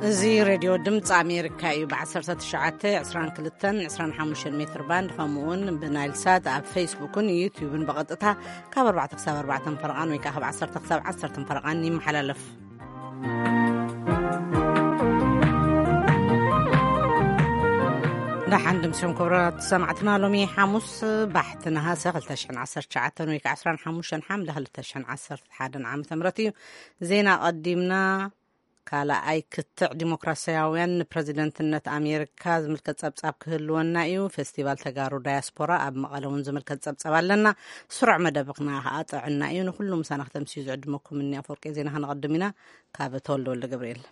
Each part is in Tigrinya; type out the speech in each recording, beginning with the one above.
እዚ ሬድዮ ድምፂ ኣሜሪካ እዩ። ብ19፣ 22፣ 25 ሜትር ባንድ፣ ከምኡ እውን ብናይል ሳት ኣብ ፌስቡክን ዩቲዩብን ብቐጥታ ካብ ኣርባዕተ ክሳብ ኣርባዕተ ፈረቓን ወይ ከዓ ካብ ዓሰርተ ክሳብ ዓሰርተ ፈረቓን ይመሓላለፍ። ደሓን ድምሲኹም ክቡራት ሰማዕትና፣ ሎሚ ሓሙስ ባሕቲ ነሃሰ ክልተ ሽሕን ዓሰርተ ትሽዓተን ወይ ከዓ ዕስራን ሓሙሽተን ሓምለ ክልተ ሽሕን ዓሰርተ ሓደን ዓመተ ምህረት እዩ። ዜና ቀዲምና። ካልኣይ ክትዕ ዲሞክራሲያውያን ንፕረዚደንትነት ኣሜሪካ ዝምልከት ጸብጻብ ክህልወና እዩ። ፌስቲቫል ተጋሩ ዳያስፖራ ኣብ መቐለ እውን ዝምልከት ጸብጻብ ኣለና። ስሩዕ መደብና ከዓ ጥዕና እዩ። ንኩሉ ምሳና ክተምስዩ ዝዕድመኩም እኒ ኣፈወርቂ ዜና ከነቐድም ኢና። ካብ ተወልደ ወልደ ገብርኤል።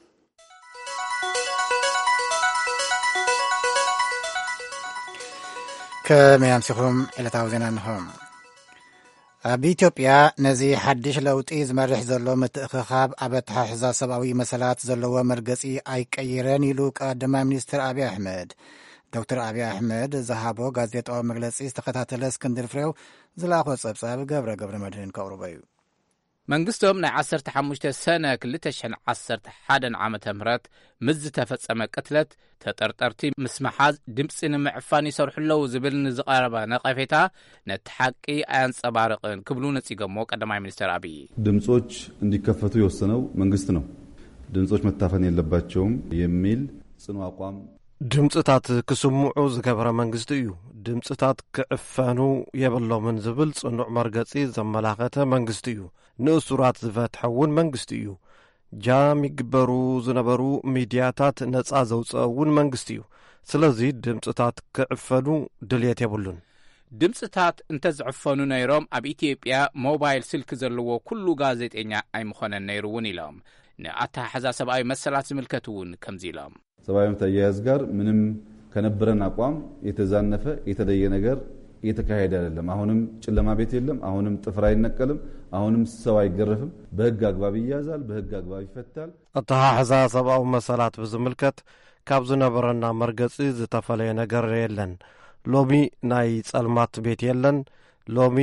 ከመይ ኣምሲኹም? ዕለታዊ ዜና እንሆ። ኣብ ኢትዮጵያ ነዚ ሓድሽ ለውጢ ዝመርሕ ዘሎ ምትእኽኻብ ኣብ ኣተሓሕዛ ሰብኣዊ መሰላት ዘለዎ መርገጺ ኣይቀይረን ኢሉ ቀዳማይ ሚኒስትር ኣብይ ኣሕመድ። ዶክተር ኣብይ ኣሕመድ ዝሃቦ ጋዜጣዊ መግለጺ ዝተኸታተለ እስክንድር ፍሬው ዝለኣኾ ጸብጻብ ገብረ ገብረ መድህን ከቕርቦ እዩ። መንግስቶም ናይ ዓሰርተ ሓሙሽተ ሰነ ክልተ ሽሕን ዓሰርተ ሓደን ዓመተ ምህረት ምስ ዝተፈጸመ ቅትለት ተጠርጠርቲ ምስ ምሓዝ ድምፂ ንምዕፋን ይሰርሑ ኣለዉ ዝብል ንዝቐረበ ነቐፌታ ነቲ ሓቂ ኣየንጸባርቕን ክብሉ ነጺጎሞ ቀዳማይ ሚኒስትር ኣብይ። ድምጾች እንዲከፈቱ የወሰነው መንግስት ነው። ድምጾች መታፈን የለባቸውም የሚል ጽኑ አቋም ድምጽታት ክስምዑ ዝገበረ መንግስቲ እዩ። ድምጽታት ክዕፈኑ የብሎምን ዝብል ጽኑዕ መርገጺ ዘመላኸተ መንግስቲ እዩ። ንእሱራት ዝፈትሐ እውን መንግስቲ እዩ። ጃም ይግበሩ ዝነበሩ ሚድያታት ነጻ ዘውፅአ እውን መንግስቲ እዩ። ስለዚ ድምፅታት ክዕፈኑ ድልየት የብሉን። ድምፅታት እንተዝዕፈኑ ነይሮም ኣብ ኢትዮጵያ ሞባይል ስልኪ ዘለዎ ኩሉ ጋዜጠኛ ኣይምኾነን ነይሩ እውን ኢሎም። ንኣተሓሕዛ ሰብኣዊ መሰላት ዝምልከት እውን ከምዚ ኢሎም። ሰብአዊ መብት አያያዝ ጋር ምንም ከነበረን አቋም የተዛነፈ የተለየ ነገር እየተካሄደ አይደለም። አሁንም ጨለማ ቤት የለም። አሁንም ጥፍር አይነቀልም። አሁንም ሰው አይገረፍም። በህግ አግባብ ይያዛል፣ በህግ አግባብ ይፈታል። ኣተሓሕዛ ሰብኣዊ መሰላት ብዝምልከት ካብ ዝነበረና መርገጺ ዝተፈለየ ነገር የለን። ሎሚ ናይ ጸልማት ቤት የለን። ሎሚ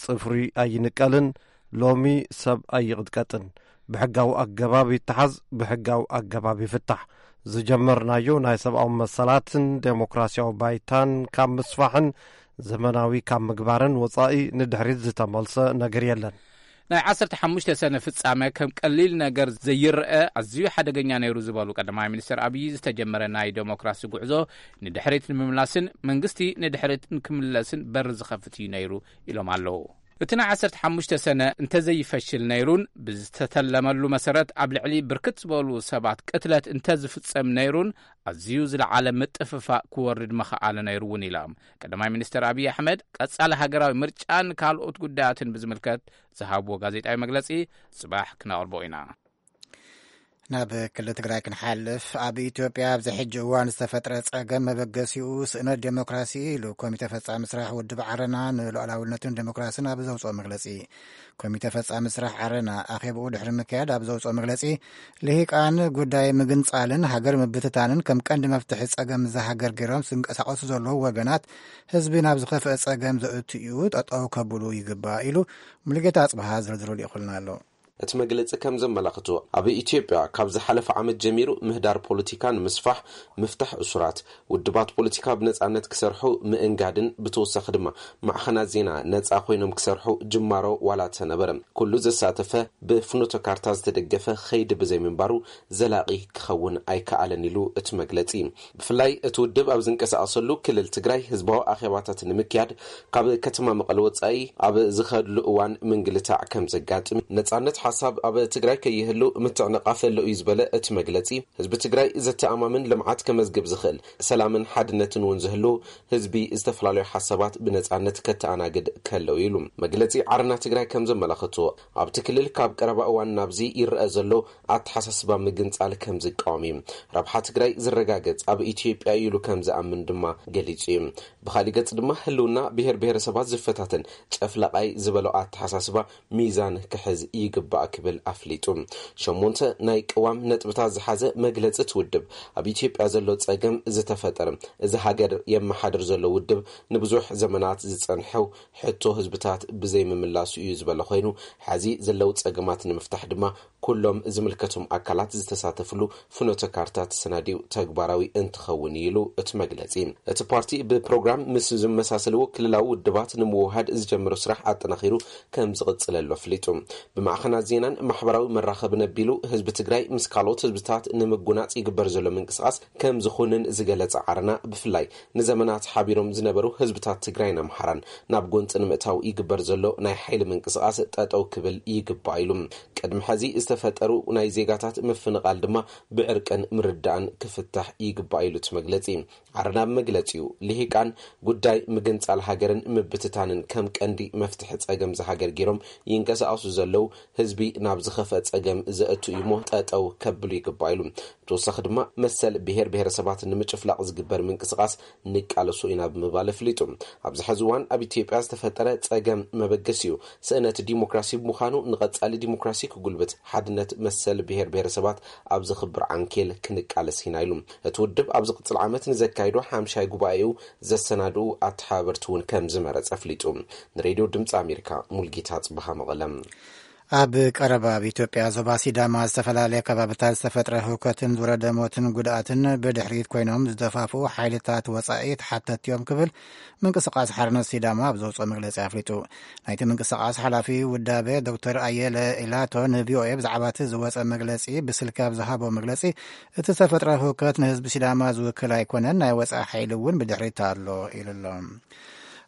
ጽፍሪ ኣይንቀልን። ሎሚ ሰብ ኣይቕጥቀጥን። ብሕጋዊ ኣገባብ ይተሓዝ፣ ብሕጋዊ ኣገባብ ይፍታሕ። ዝጀመርናዮ ናይ ሰብኣዊ መሰላትን ዴሞክራሲያዊ ባይታን ካብ ምስፋሕን ዘመናዊ ካብ ምግባርን ወጻኢ ንድሕሪት ዝተመልሰ ነገር የለን። ናይ ዓሰርተ ሓሙሽተ ሰነ ፍጻመ ከም ቀሊል ነገር ዘይረአ ኣዝዩ ሓደገኛ ነይሩ ዝበሉ ቀዳማይ ሚኒስትር ኣብይ፣ ዝተጀመረ ናይ ዴሞክራሲ ጉዕዞ ንድሕሪት ንምምላስን መንግስቲ ንድሕሪት ንክምለስን በር ዝኸፍት እዩ ነይሩ ኢሎም ኣለዉ። እቲ ናይ ዓሰርተ ሓሙሽተ ሰነ እንተዘይፈሽል ነይሩን ብዝተተለመሉ መሰረት ኣብ ልዕሊ ብርክት ዝበሉ ሰባት ቅትለት እንተዝፍጸም ነይሩን ኣዝዩ ዝለዓለ ምጥፍፋእ ክወርድ መኸኣለ ነይሩ እውን ኢሎም። ቀዳማይ ሚኒስትር ኣብይ ኣሕመድ ቀጻሊ ሃገራዊ ምርጫን ካልኦት ጉዳያትን ብዝምልከት ዝሃብዎ ጋዜጣዊ መግለጺ ጽባሕ ክነቕርቦ ኢና። ናብ ክልል ትግራይ ክንሓልፍ፣ ኣብ ኢትዮጵያ ኣብዚ ሕጂ እዋን ዝተፈጥረ ጸገም መበገሲኡ ስእነት ዴሞክራሲ ኢሉ ኮሚተ ፈጻሚ ስራሕ ውድብ ዓረና ንሉዓላውነትን ዴሞክራሲን ኣብ ዘውፅኦ መግለጺ። ኮሚተ ፈጻሚ ስራሕ ዓረና ኣኼብኡ ድሕሪ ምክያድ ኣብ ዘውፅኦ መግለጺ፣ ልሂቃን ጉዳይ ምግንጻልን ሃገር ምብትታንን ከም ቀንዲ መፍትሒ ጸገም እዛ ሃገር ገይሮም ዝንቀሳቐሱ ዘለዉ ወገናት ህዝቢ ናብ ዝኸፍአ ጸገም ዘእቱ እዩ፣ ጠጠው ከብሉ ይግባእ ኢሉ። ሙሉጌታ ኣጽብሃ ዝርዝሩ ልኢኹልና ኣሎ። እቲ መግለጺ ከም ዘመላኽቶ፣ ኣብ ኢትዮጵያ ካብ ዝሓለፈ ዓመት ጀሚሩ ምህዳር ፖለቲካ ንምስፋሕ፣ ምፍታሕ እሱራት፣ ውድባት ፖለቲካ ብነጻነት ክሰርሑ ምእንጋድን ብተወሳኺ ድማ ማዕኸናት ዜና ነጻ ኮይኖም ክሰርሑ ጅማሮ ዋላ ተነበረ፣ ኩሉ ዘሳተፈ ብፍኖተ ካርታ ዝተደገፈ ኸይዲ ብዘይምንባሩ ዘላቒ ክኸውን ኣይከኣለን ኢሉ እቲ መግለጺ። ብፍላይ እቲ ውድብ ኣብ ዝንቀሳቐሰሉ ክልል ትግራይ ህዝባዊ ኣኼባታት ንምክያድ ካብ ከተማ መቐለ ወጻኢ ኣብ ዝኸድሉ እዋን ምንግልታዕ ከም ዘጋጥም፣ ነጻነት ሓሳብ ኣብ ትግራይ ከይህሉ ምትዕንቓፍ ኣሎ እዩ ዝበለ እቲ መግለጺ፣ ህዝቢ ትግራይ ዘተኣማምን ልምዓት ከመዝግብ ዝኽእል፣ ሰላምን ሓድነትን እውን ዝህሉ ህዝቢ ዝተፈላለዩ ሓሳባት ብነጻነት ከተኣናግድ ከለው ኢሉ። መግለጺ ዓረና ትግራይ ከም ዘመላኽቶ፣ ኣብቲ ክልል ካብ ቀረባ እዋን ናብዚ ይረአ ዘሎ ኣተሓሳስባ ምግንጻል ከም ዝቃወም እዩ። ረብሓ ትግራይ ዝረጋገጽ ኣብ ኢትዮጵያ እዩ ኢሉ ከም ዝኣምን ድማ ገሊጹ እዩ። ብኻሊእ ገጽ ድማ ህልውና ብሄር ብሄረሰባት ዝፈታተን ጨፍላቓይ ዝበሎ ኣተሓሳስባ ሚዛን ክሕዝ ይግባእ ክብል ኣፍሊጡ። ሸሞንተ ናይ ቅዋም ነጥብታት ዝሓዘ መግለጺ እቲ ውድብ፣ ኣብ ኢትዮጵያ ዘሎ ጸገም ዝተፈጠረ፣ እዚ ሃገር የመሓድር ዘሎ ውድብ ንብዙሕ ዘመናት ዝጸንሐው ሕቶ ህዝብታት ብዘይምምላሱ እዩ ዝበለ ኮይኑ፣ ሕዚ ዘለዉ ጸገማት ንምፍታሕ ድማ ኩሎም ዝምልከቶም ኣካላት ዝተሳተፍሉ ፍኖተ ካርታ ተሰናዲኡ ተግባራዊ እንትኸውን እዩ ኢሉ እቲ መግለጺ። እቲ ፓርቲ ብፕሮግራም ምስ ዝመሳሰልዎ ክልላዊ ውድባት ንምውሃድ ዝጀመሮ ስራሕ ኣጠናኺሩ ከም ዝቕጽለሉ ኣፍሊጡ። ብማዕኸናት ዜናን ማሕበራዊ መራኸብን ኣቢሉ ህዝቢ ትግራይ ምስ ካልኦት ህዝብታት ንምጉናጽ ይግበር ዘሎ ምንቅስቓስ ከም ዝኾንን ዝገለጸ ዓረና፣ ብፍላይ ንዘመናት ሓቢሮም ዝነበሩ ህዝብታት ትግራይን ኣምሓራን ናብ ጎንፂ ንምእታው ይግበር ዘሎ ናይ ሓይሊ ምንቅስቓስ ጠጠው ክብል ይግባእ ኢሉ። ቅድሚ ሕዚ ዝተፈጠሩ ናይ ዜጋታት ምፍንቓል ድማ ብዕርቅን ምርዳእን ክፍታሕ ይግባእ ኢሉ እቲ መግለፂ። ዓረና ብመግለፂኡ፣ ልሂቃን ጉዳይ ምግንፃል ሃገርን ምብትታንን ከም ቀንዲ መፍትሒ ፀገም ዝሃገር ገይሮም ይንቀሳቐሱ ዘለዉ ህዝቢ ናብ ዝኸፍአ ፀገም ዘእቱ እዩ እሞ ጠጠው ከብሉ ይግባእ ኢሉ። ብተወሳኺ ድማ መሰል ብሄር ብሄረሰባት ንምጭፍላቕ ዝግበር ምንቅስቓስ ንቃለሶ ኢና ብምባል ኣፍሊጡ። ኣብዚ ሕዚ እዋን ኣብ ኢትዮጵያ ዝተፈጠረ ፀገም መበገሲኡ ስእነት ዲሞክራሲ ብምዃኑ ንቐፃሊ ዲሞክራሲ ክጉልብት ሓድነት መሰል ብሄር ብሄረሰባት ኣብ ዘኽብር ዓንኬል ክንቃለስ ኢና ኢሉ። እቲ ውድብ ኣብ ዝቕፅል ዓመት ንዘካይዶ ሓምሻይ ጉባኤኡ ዘሰናድኡ ኣተሓባበርቲ እውን ከም ዝመረፀ ኣፍሊጡ። ንሬድዮ ድምፂ ኣሜሪካ ሙልጌታ ጽብሃ መቐለም። ኣብ ቀረባ ኣብ ኢትዮጵያ ዞባ ሲዳማ ዝተፈላለየ ከባብታት ዝተፈጥረ ህውከትን ዝወረደ ሞትን ጉድኣትን ብድሕሪት ኮይኖም ዝደፋፍኡ ሓይልታት ወጻኢ ተሓተትቲ እዮም ክብል ምንቅስቃስ ሓርነት ሲዳማ ኣብ ዘውፅኦ መግለፂ ኣፍሊጡ። ናይቲ ምንቅስቃስ ሓላፊ ውዳበ ዶክተር ኣየለ ኢላቶ ንቪኦኤ ብዛዕባ እቲ ዝወፀ መግለፂ ብስልኪ ኣብ ዝሃቦ መግለፂ፣ እቲ ዝተፈጥረ ህውከት ንህዝቢ ሲዳማ ዝውክል ኣይኮነን፣ ናይ ወፃኢ ሓይሊ እውን ብድሕሪት ኣሎ ኢሉ ኣሎ።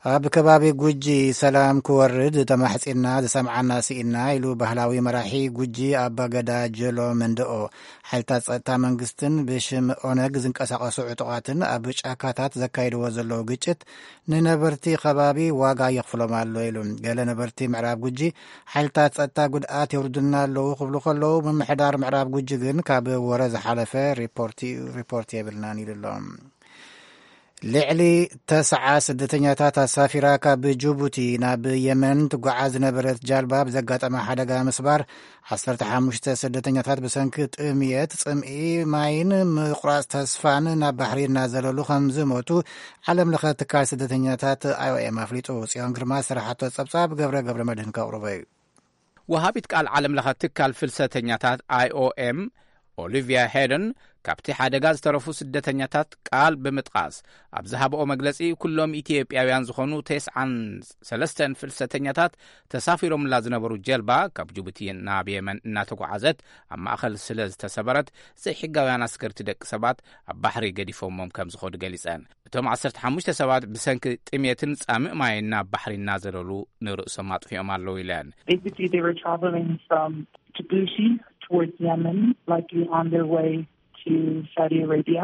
ኣብ ከባቢ ጉጂ ሰላም ክወርድ ተማሕጺና ዝሰምዓና ስኢና ኢሉ ባህላዊ መራሒ ጉጂ ኣባገዳ ጀሎ መንደኦ። ሓይልታት ጸጥታ መንግስትን ብሽም ኦነግ ዝንቀሳቐሱ ዕጡቓትን ኣብ ጫካታት ዘካይድዎ ዘለዉ ግጭት ንነበርቲ ከባቢ ዋጋ የኽፍሎም ኣሎ ኢሉ። ገለ ነበርቲ ምዕራብ ጉጂ ሓይልታት ጸጥታ ጉድኣት የውርዱልና ኣለዉ ክብሉ ከለዉ፣ ምምሕዳር ምዕራብ ጉጂ ግን ካብ ወረ ዝሓለፈ ሪፖርት ሪፖርት የብልናን ኢሉ ኣሎ። ልዕሊ ተስዓ ስደተኛታት ኣሳፊራ ካብ ጅቡቲ ናብ የመን ትጓዓዝ ዝነበረት ጃልባ ብዘጋጠመ ሓደጋ ምስባር፣ ዓሰርተ ሓሙሽተ ስደተኛታት ብሰንኪ ጥምየት፣ ጽምኢ ማይን ምቁራጽ ተስፋን ናብ ባሕሪ እናዘለሉ ከም ዝሞቱ ዓለም ለኸ ትካል ስደተኛታት ኣይኦኤም ኣፍሊጡ። ጽዮን ግርማ ዝሰራሓቶ ጸብጻብ ገብረ ገብረ መድህን ከቕርቦ እዩ። ወሃቢት ቃል ዓለም ለኸ ትካል ፍልሰተኛታት ኣይኦኤም ኦሊቪያ ሄደን ካብቲ ሓደጋ ዝተረፉ ስደተኛታት ቃል ብምጥቃስ ኣብ ዝሃብኦ መግለጺ፣ ኩሎም ኢትዮጵያውያን ዝኾኑ ተስዓን ሰለስተን ፍልሰተኛታት ተሳፊሮምላ ዝነበሩ ጀልባ ካብ ጅቡቲ ናብ የመን እናተጓዓዘት ኣብ ማእኸል ስለ ዝተሰበረት፣ ዘይሕጋውያን ኣስገርቲ ደቂ ሰባት ኣብ ባሕሪ ገዲፎሞም ከም ዝኸዱ ገሊጸን። እቶም ዓሰርተ ሓሙሽተ ሰባት ብሰንኪ ጥሜትን ጻምእ ማይን ናብ ባሕሪ እናዘለሉ ንርእሶም ኣጥፊኦም ኣለዉ ኢለን። Basically, they were traveling from Djibouti towards Yemen, likely on their way to Saudi Arabia.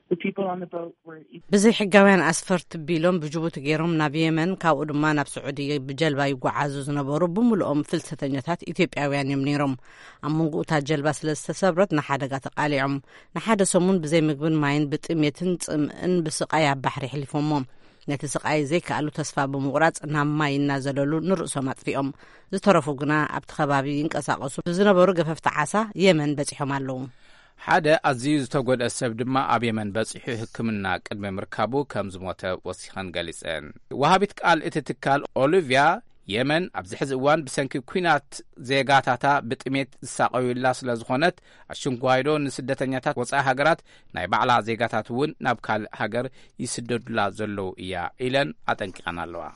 The people on the boat were ብዘይ ሕጋውያን ኣስፈርቲ ቢሎም ብጅቡቲ ገይሮም ናብ የመን፣ ካብኡ ድማ ናብ ስዑዲ ብጀልባ ይጓዓዙ ዝነበሩ ብምልኦም ፍልሰተኛታት ኢትዮጵያውያን እዮም ነይሮም። ኣብ መንጎ እታ ጀልባ ስለ ዝተሰብረት ንሓደጋ ተቃሊዖም። ንሓደ ሰሙን ብዘይ ምግብን ማይን ብጥሜትን ጽምእን ብስቃይ ኣብ ባሕሪ ኣሕሊፎሞ። ነቲ ስቃይ ዘይከኣሉ ተስፋ ብምቑራጽ ናብ ማይ እናዘለሉ ንርእሶም ኣጥፊኦም። ዝተረፉ ግና ኣብቲ ከባቢ ይንቀሳቐሱ ብዝነበሩ ገፈፍቲ ዓሳ የመን በጺሖም ኣለዉ። ሓደ ኣዝዩ ዝተጎድአ ሰብ ድማ ኣብ የመን በጺሑ ሕክምና ቅድሚ ምርካቡ ከም ዝሞተ ወሲኸን ገሊጸን። ወሃቢት ቃል እቲ ትካል ኦሊቪያ፣ የመን ኣብዚ ሕዚ እዋን ብሰንኪ ኲናት ዜጋታታ ብጥሜት ዝሳቐዩላ ስለ ዝኾነት፣ ኣሽንጓይዶ ንስደተኛታት ወጻኢ ሃገራት ናይ ባዕላ ዜጋታት እውን ናብ ካልእ ሃገር ይስደዱላ ዘለዉ እያ ኢለን ኣጠንቂቐን ኣለዋ።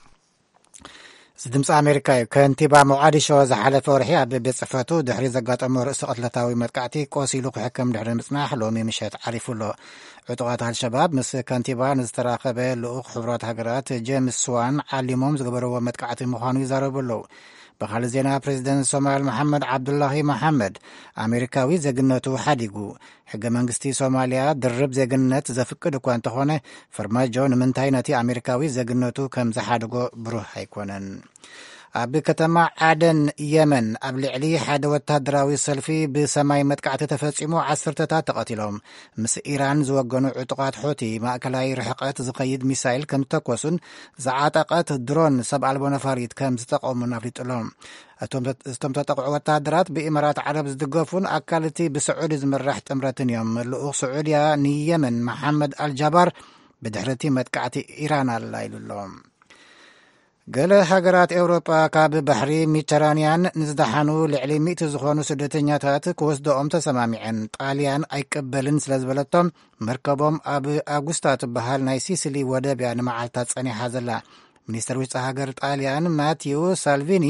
እዚ ድምፂ ኣሜሪካ እዩ። ከንቲባ ሞቃዲሾ ዝሓለፈ ወርሒ ኣብ ቤት ጽሕፈቱ ድሕሪ ዘጋጠሞ ርእሲ ቅትለታዊ መጥቃዕቲ ቆሲሉ ክሕከም ድሕሪ ምጽናሕ ሎሚ ምሸት ዓሪፉ ኣሎ። ዕጡቓት ኣልሸባብ ምስ ከንቲባ ንዝተራኸበ ልኡኽ ሕቡራት ሃገራት ጄምስ ስዋን ዓሊሞም ዝገበርዎ መጥቃዕቲ ምዃኑ ይዛረቡ ኣለዉ። ብኻልእ ዜና፣ ፕሬዚደንት ሶማል መሓመድ ዓብዱላሂ መሓመድ ኣሜሪካዊ ዜግነቱ ሓዲጉ። ሕገ መንግስቲ ሶማልያ ድርብ ዜግነት ዘፍቅድ እኳ እንተኾነ፣ ፈርማጆ ንምንታይ ነቲ ኣሜሪካዊ ዜግነቱ ከም ዝሓደጎ ብሩህ ኣይኮነን። ኣብ ከተማ ዓደን የመን ኣብ ልዕሊ ሓደ ወታደራዊ ሰልፊ ብሰማይ መጥቃዕቲ ተፈጺሙ፣ ዓሰርተታት ተቐቲሎም። ምስ ኢራን ዝወገኑ ዕጡቓት ሑቲ ማእከላይ ርሕቀት ዝኸይድ ሚሳይል ከም ዝተኮሱን ዝዓጠቐት ድሮን ሰብ ኣልቦ ነፋሪት ከም ዝጠቐሙን ኣፍሊጡ ኣሎ። እቶም ተ-፣ እቶም ተጠቕዑ ወታደራት ብኢማራት ዓረብ ዝድገፉን ኣካል እቲ ብስዑዲ ዝምራሕ ጥምረትን እዮም። ልኡኽ ስዑድያ ንየመን መሓመድ ኣልጃባር ብድሕሪ እቲ መጥቃዕቲ ኢራን ኣላ ኢሉ ኣሎ። ገለ ሃገራት ኤውሮጳ ካብ ባሕሪ ሜዲተራንያን ንዝደሓኑ ልዕሊ ሚእቲ ዝኾኑ ስደተኛታት ክወስደኦም ተሰማሚዐን። ጣልያን ኣይቀበልን ስለ ዝበለቶም፣ መርከቦም ኣብ ኣጉስታ ትበሃል ናይ ሲሲሊ ወደብ እያ ንመዓልታት ጸኒሓ ዘላ። ሚኒስተር ውሽጢ ሃገር ጣልያን ማቲው ሳልቪኒ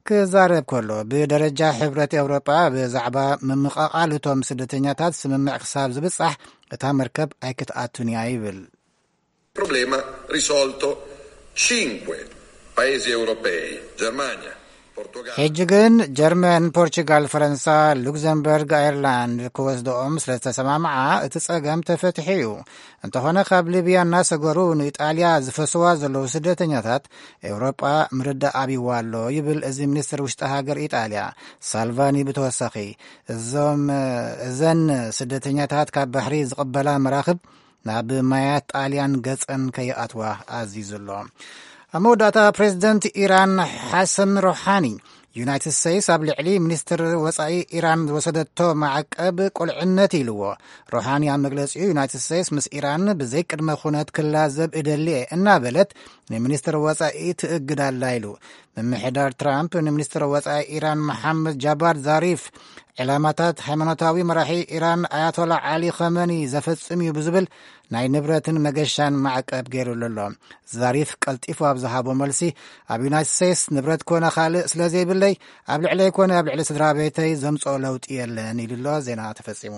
ክዛረብ ከሎ፣ ብደረጃ ሕብረት ኤውሮጳ ብዛዕባ ምምቕቓል እቶም ስደተኛታት ስምምዕ ክሳብ ዝብጻሕ፣ እታ መርከብ ኣይክትኣቱን እያ ይብል። Problema risolto. Cinque paesi europei, Germania, Portogallo. ሕጂ ግን ጀርመን፣ ፖርቹጋል፣ ፈረንሳ፣ ሉክዘምበርግ፣ ኣየርላንድ ክወስደኦም ስለ ዝተሰማምዓ፣ እቲ ጸገም ተፈትሑ እዩ። እንተኾነ፣ ካብ ሊብያ እናሰገሩ ንኢጣልያ ዝፈስዋ ዘለዉ ስደተኛታት ኤውሮጳ ምርዳእ ኣብይዋ ኣሎ ይብል እዚ ሚኒስትር ውሽጢ ሃገር ኢጣልያ። ሳልቫኒ ብተወሳኺ፣ እዞም እዘን ስደተኛታት ካብ ባሕሪ ዝቕበላ መራኽብ ናብ ማያት ጣልያን ገጸን ከይኣትዋ ኣዚዙ ኣሎ። ኣብ መወዳእታ፣ ፕሬዚደንት ኢራን ሓሰን ሮሓኒ፣ ዩናይትድ ስቴትስ ኣብ ልዕሊ ሚኒስትር ወጻኢ ኢራን ዝወሰደቶ ማዕቀብ ቁልዕነት ኢልዎ። ሮሓኒ ኣብ መግለጺኡ፣ ዩናይትድ ስቴትስ ምስ ኢራን ብዘይ ቅድመ ኩነት ክላዘብ እደሊ እየ እናበለት፣ ንሚኒስትር ወጻኢ ትእግድ ኣላ ኢሉ። ምምሕዳር ትራምፕ ንሚኒስትር ወጻኢ ኢራን መሓመድ ጃባድ ዛሪፍ፣ ዕላማታት ሃይማኖታዊ መራሒ ኢራን ኣያቶላ ዓሊ ኸመኒ ዘፈጽም እዩ ብዝብል ናይ ንብረትን መገሻን ማዕቀብ ገይሩሉ ኣሎ። ዛሪፍ ቀልጢፉ ኣብ ዝሃቦ መልሲ፣ ኣብ ዩናይትድ ስቴትስ ንብረት ኮነ ካልእ ስለ ዘይብለይ፣ ኣብ ልዕለይ ኮነ ኣብ ልዕሊ ስድራ ቤተይ ዘምጽኦ ለውጢ የለን ኢሉ ኣሎ። ዜና ተፈጺሙ።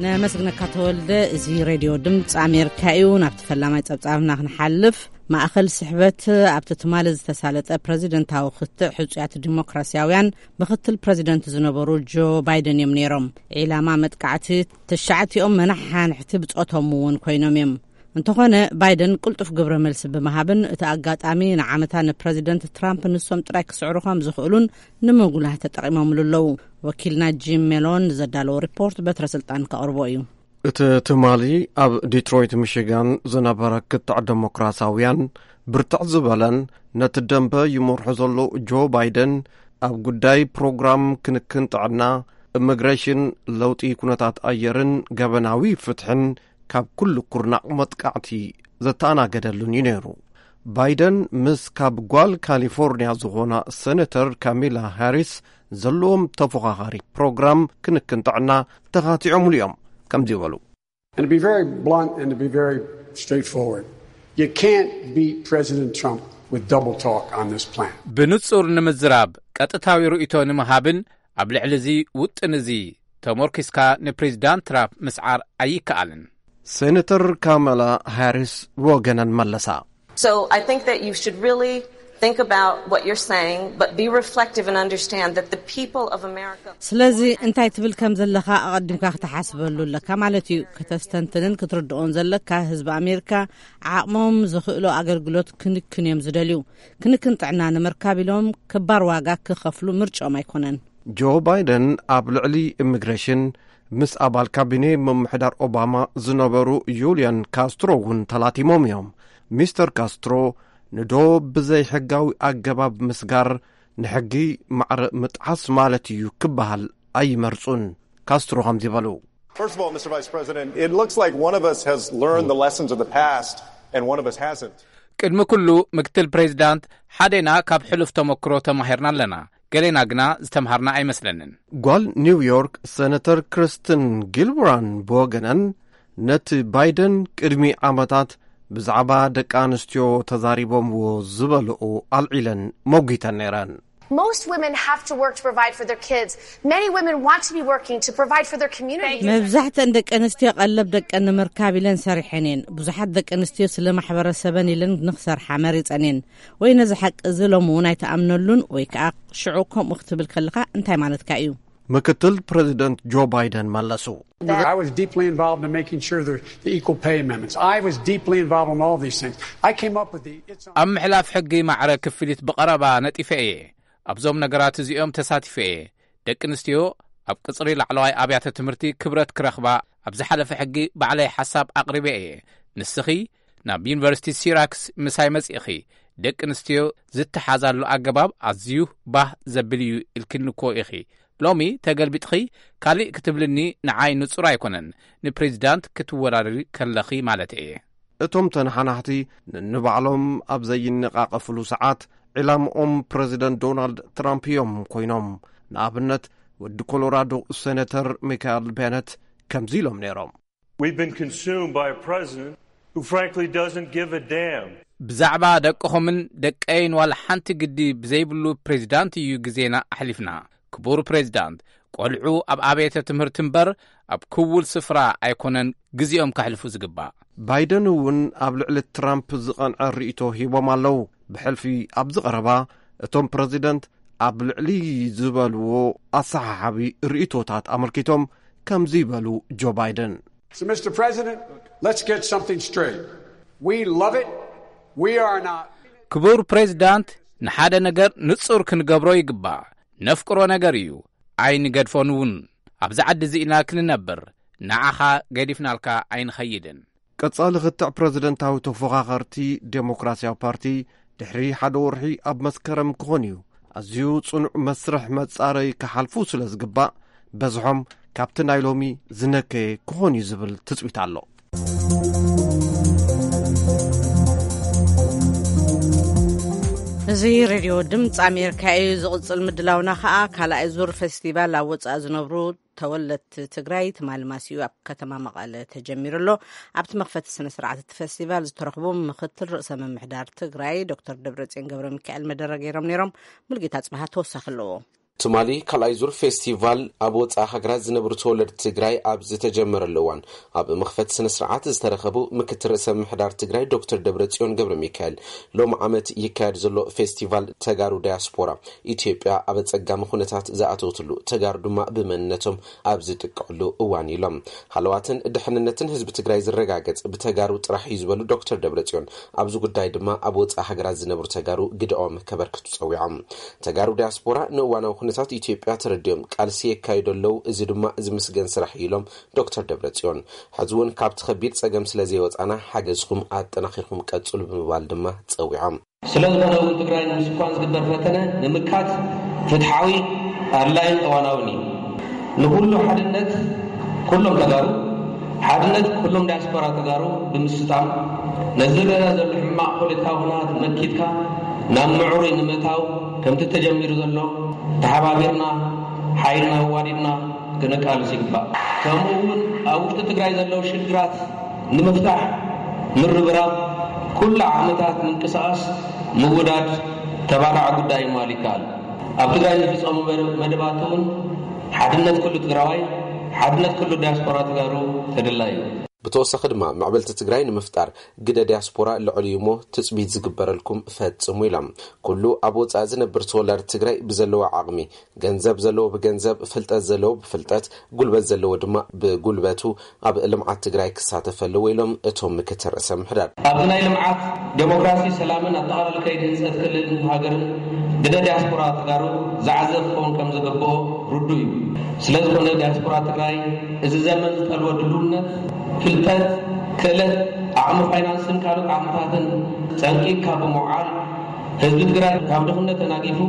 ነመስግነካ ተወልደ። እዚ ሬድዮ ድምፂ ኣሜሪካ እዩ። ናብቲ ፈላማይ ጸብጻብና ክንሓልፍ፣ ማእኸል ስሕበት ኣብቲ ትማሊ ዝተሳለጠ ፕረዚደንታዊ ክትዕ፣ ሕጹያት ዲሞክራሲያውያን ምኽትል ፕረዚደንት ዝነበሩ ጆ ባይደን እዮም ነይሮም። ዒላማ መጥቃዕቲ ትሽዓቲኦም መናሓንሕቲ ብጾቶም እውን ኮይኖም እዮም። እንተኾነ፣ ባይደን ቅልጡፍ ግብረ መልሲ ብምሃብን እቲ ኣጋጣሚ ንዓመታ ንፕረዚደንት ትራምፕ ንሶም ጥራይ ክስዕሩ ከም ዝኽእሉን ንምጉላህ ተጠቒሞምሉ ኣለዉ። ወኪልና ጂም ሜሎን ዘዳለዎ ሪፖርት በትረ ስልጣን ከቕርቦ እዩ። እቲ ትማሊ ኣብ ዲትሮይት ሚሽጋን ዝነበረ ክትዕ ዴሞክራሲያውያን፣ ብርትዕ ዝበለን ነቲ ደንበ ይመርሖ ዘሎ ጆ ባይደን፣ ኣብ ጉዳይ ፕሮግራም ክንክን ጥዕና፣ ኢሚግሬሽን፣ ለውጢ ኩነታት ኣየርን ገበናዊ ፍትሕን ካብ ኩሉ ኩርናዕ መጥቃዕቲ ዘተኣናገደሉን እዩ ነይሩ። ባይደን ምስ ካብ ጓል ካሊፎርኒያ ዝኾና ሴኔተር ካሚላ ሃሪስ ዘለዎም ተፎኻኻሪ ፕሮግራም ክንክን ጥዕና ተኻቲዖምሉ እዮም። ከምዚ በሉ። And to be very blunt and to be very straightforward, you can't beat President Trump with double talk on this plan. ብንጹር ንምዝራብ፣ ቀጥታዊ ርእይቶ ንምሃብን ኣብ ልዕሊ እዚ ውጥን እዚ ተሞርኪስካ ንፕሬዚዳንት ትራምፕ ምስዓር ኣይከኣልን። ሴኔተር ካማላ ሃሪስ ብወገነን መለሳ። So I think that you should really think about what you're saying, but be reflective and understand that the people of America ስለዚ እንታይ ትብል ከም ዘለኻ ኣቐዲምካ ክትሓስበሉ ኣለካ ማለት እዩ። ከተስተንትንን ክትርድኦን ዘለካ፣ ህዝቢ ኣሜሪካ ዓቕሞም ዝኽእሎ ኣገልግሎት ክንክን እዮም ዝደልዩ። ክንክን ጥዕና ንምርካብ ኢሎም ክባር ዋጋ ክኸፍሉ ምርጫኦም ኣይኮነን። ጆ ባይደን ኣብ ልዕሊ ኢሚግሬሽን ምስ ኣባል ካቢኔ ምምሕዳር ኦባማ ዝነበሩ ዩልያን ካስትሮ እውን ተላቲሞም እዮም። ሚስተር ካስትሮ ንዶ ብዘይ ሕጋዊ ኣገባብ ምስጋር ንሕጊ ማዕረ ምጥሓስ ማለት እዩ ክበሃል ኣይመርጹን። ካስትሮ ከምዚ በሉ። First of all, Mister Vice President, it looks like one of us has learned the lessons of the past and one of us hasn't. ቅድሚ ኩሉ ምክትል ፕሬዚዳንት፣ ሓደና ካብ ሕሉፍ ተመክሮ ተማሂርና ኣለና፣ ገሌና ግና ዝተምሃርና ኣይመስለንን። ጓል ኒውዮርክ ሴነተር ክርስትን ጊልብራን ብወገነን፣ ነቲ ባይደን ቅድሚ ዓመታት ብዛዕባ ደቂ ኣንስትዮ ተዛሪቦምዎ ዝበልኦ ኣልዒለን መጒተን ነይረን። Most women have to work to provide for their kids. Many women want to be working to provide for their community. መብዛሕትአን ደቂ ኣንስትዮ ቀለብ ደቀን ንምርካብ ኢለን ሰሪሐን እየን። ብዙሓት ደቂ ኣንስትዮ ስለ ማሕበረሰበን ኢለን ንኽሰርሓ መሪጸን እየን። ወይ ነዚ ሓቂ እዚ ሎሚ እውን ኣይትኣምነሉን፣ ወይ ከኣ ሽዑ ከምኡ ክትብል ከለኻ እንታይ ማለትካ እዩ? ምክትል ፕረዚደንት ጆ ባይደን መለሱ። I was deeply involved in making sure there the equal pay amendments. I was deeply involved in all these things. I came up with the it's ኣብ ምሕላፍ ሕጊ ማዕረ ክፍሊት ብቐረባ ነጢፈ እየ። ኣብዞም ነገራት እዚኦም ተሳቲፈ እየ። ደቂ ኣንስትዮ ኣብ ቅጽሪ ላዕለዋይ ኣብያተ ትምህርቲ ክብረት ክረኽባ ኣብ ዝሓለፈ ሕጊ ባዕለይ ሓሳብ ኣቕሪበ እየ። ንስኺ ናብ ዩኒቨርሲቲ ሲራክስ ምሳይ መጺእኺ፣ ደቂ ኣንስትዮ ዝተሓዛሉ ኣገባብ ኣዝዩ ባህ ዘብል እዩ ኢልክኒ እኮ ኢኺ። ሎሚ ተገልቢጥኺ ካሊእ ክትብልኒ ንዓይ ንጹር ኣይኮነን፣ ንፕሬዚዳንት ክትወዳደሪ ከለኺ ማለት እየ። እቶም ተነሓናሕቲ ንንባዕሎም ኣብ ዘይነቓቐፍሉ ሰዓት፣ ዒላምኦም ፕረዚደንት ዶናልድ ትራምፕ እዮም ኮይኖም። ንኣብነት፣ ወዲ ኮሎራዶ ሴኔተር ሚካኤል ቤነት ከምዚ ኢሎም ነይሮም። We've been consumed by a president who frankly doesn't give a damn. ብዛዕባ ደቅኹምን ደቀይን ዋላ ሓንቲ ግዲ ብዘይብሉ ፕሬዚዳንት እዩ ግዜና ኣሕሊፍና። ክቡር ፕሬዚዳንት፣ ቆልዑ ኣብ ኣብያተ ትምህርቲ እምበር ኣብ ክውል ስፍራ ኣይኮነን ግዜኦም ከሕልፉ ዝግባእ። ባይደን እውን ኣብ ልዕሊ ትራምፕ ዝቐንዐ ርእይቶ ሂቦም ኣለዉ። ብሕልፊ ኣብዚ ቀረባ እቶም ፕረዚደንት ኣብ ልዕሊ ዝበልዎ ኣሰሓሓቢ ርእይቶታት ኣመልኪቶም ከምዚ ይበሉ ጆ ባይደን። So, Mister President, let's get something straight. We love it. We are not. ክቡር ፕሬዚዳንት፣ ንሓደ ነገር ንጹር ክንገብሮ ይግባእ። ነፍቅሮ ነገር እዩ፣ ኣይንገድፎን እውን። ኣብዚ ዓዲ እዚ ኢና ክንነብር፣ ንዓኻ ገዲፍናልካ ኣይንኸይድን። ቀጻሊ ክትዕ ፕረዚደንታዊ ተፎኻኸርቲ ዴሞክራሲያዊ ፓርቲ ድሕሪ ሓደ ወርሒ ኣብ መስከረም ክኾን እዩ። ኣዝዩ ጽኑዕ መስርሕ መጻረይ ክሓልፉ ስለ ዝግባእ፣ በዝሖም ካብቲ ናይ ሎሚ ዝነከየ ክኾን እዩ ዝብል ትጽቢት ኣሎ። እዚ ሬድዮ ድምፂ ኣሜሪካ እዩ። ዝቕጽል ምድላውና ኸኣ ካልኣይ ዙር ፌስቲቫል ኣብ ወጻኢ ዝነብሩ ተወለድቲ ትግራይ ትማሊ ማሲኡ ኣብ ከተማ መቐለ ተጀሚሩ ኣሎ። ኣብቲ መኽፈቲ ስነ ስርዓት እቲ ፌስቲቫል ዝተረኽቡ ምኽትል ርእሰ ምምሕዳር ትግራይ ዶክተር ደብረጽዮን ገብረ ሚካኤል መደረ ገይሮም ነይሮም። ሙልጌታ ጽባሃ ተወሳኺ ኣለዎ። ትማሊ ካልኣይ ዙር ፌስቲቫል ኣብ ወጻኢ ሃገራት ዝነብሩ ተወለድቲ ትግራይ ኣብ ዝተጀመረሉ እዋን፣ ኣብ መኽፈቲ ስነ ስርዓት ዝተረኸቡ ምክትል ርእሰ ምምሕዳር ትግራይ ዶክተር ደብረጽዮን ገብረ ሚካኤል፣ ሎም ዓመት ይካየድ ዘሎ ፌስቲቫል ተጋሩ ዳያስፖራ ኢትዮጵያ ኣብ ኣጸጋሚ ኩነታት ዝኣተወትሉ፣ ተጋሩ ድማ ብመንነቶም ኣብ ዝጥቀዕሉ እዋን ኢሎም። ሃለዋትን ድሕንነትን ህዝቢ ትግራይ ዝረጋገጽ ብተጋሩ ጥራሕ እዩ ዝበሉ ዶክተር ደብረጽዮን፣ ኣብዚ ጉዳይ ድማ ኣብ ወጻኢ ሃገራት ዝነብሩ ተጋሩ ግደኦም ከበርክቱ ጸዊዖም። ተጋሩ ዲያስፖራ ንእዋናዊ ኩነታት ኢትዮጵያ ተረዲኦም ቃልሲ የካይዱ ኣለዉ፣ እዚ ድማ ዝምስገን ስራሕ እዩ ኢሎም ዶክተር ደብረጽዮን። ሕዚ እውን ካብቲ ከቢድ ጸገም ስለ ዘይወጻና ሓገዝኩም ኣጠናኺርኩም ቀጽሉ ብምባል ድማ ጸዊዖም። ስለ ዝኾነ እውን ትግራይ ንምስኳን ዝግበር ፈተነ ንምምካት ፍትሓዊ፣ ኣድላይን እዋናውን እዩ። ንኹሉ ሓድነት ኩሎም ተጋሩ፣ ሓድነት ኩሎም ዳያስፖራ ተጋሩ ብምስጣም፣ ነዚ ዝረኣ ዘሎ ሕማቕ ፖለቲካዊ ኩነታት መኪትካ ናብ ምዕሩይ ንምእታው ከምቲ ተጀሚሩ ዘሎ ተሓባቢርና ሓይልና ኣዋዲድና ክነቃልስ ይግባእ። ከምኡ እውን ኣብ ውሽጢ ትግራይ ዘለዉ ሽግራት ንምፍታሕ ምርብራብ፣ ኩሉ ዓቕምታት ምንቅስቓስ ምውዳድ ተባራዒ ጉዳይ ምባል ይከኣል። ኣብ ትግራይ ዝፍፀሙ መደ-፣ መደባት እውን ሓድነት ኩሉ ትግራዋይ፣ ሓድነት ኩሉ ዲያስፖራ ተጋሩ ተደላይ እዩ። ብተወሳኺ ድማ ምዕብልቲ ትግራይ ንምፍጣር ግደ ዲያስፖራ ልዑል እዩ እሞ ትፅቢት ዝግበረልኩም ፈፅሙ ኢሎም። ኩሉ ኣብ ወፃኢ ዝነብር ተወላዲ ትግራይ ብዘለዎ ዓቕሚ፣ ገንዘብ ዘለዎ ብገንዘብ፣ ፍልጠት ዘለዎ ብፍልጠት፣ ጉልበት ዘለዎ ድማ ብጉልበቱ ኣብ ልምዓት ትግራይ ክሳተፍ ኣለዎ ኢሎም እቶም ምክትል ርእሰ ምምሕዳር። ኣብዚ ናይ ልምዓት፣ ዴሞክራሲ፣ ሰላምን ኣጠቓላሊ ከይዲ ህንፀት ክልልን ሃገርን ግደ ዲያስፖራ ተጋሩ ዝዓዘ ክኸውን ከም ዝግብኦ ርዱእ እዩ። ስለ ዝኾነ ዲያስፖራ ትግራይ እዚ ዘመን ዝጠልቦ ድልውነት፣ ፍልጠት፣ ክእለት፣ ዓቕሚ ፋይናንስን ካልኦት ዓቕምታትን ፀንቂቕካ ብምውዓል ህዝቢ ትግራይ ካብ ድኽነት ተናጊፉ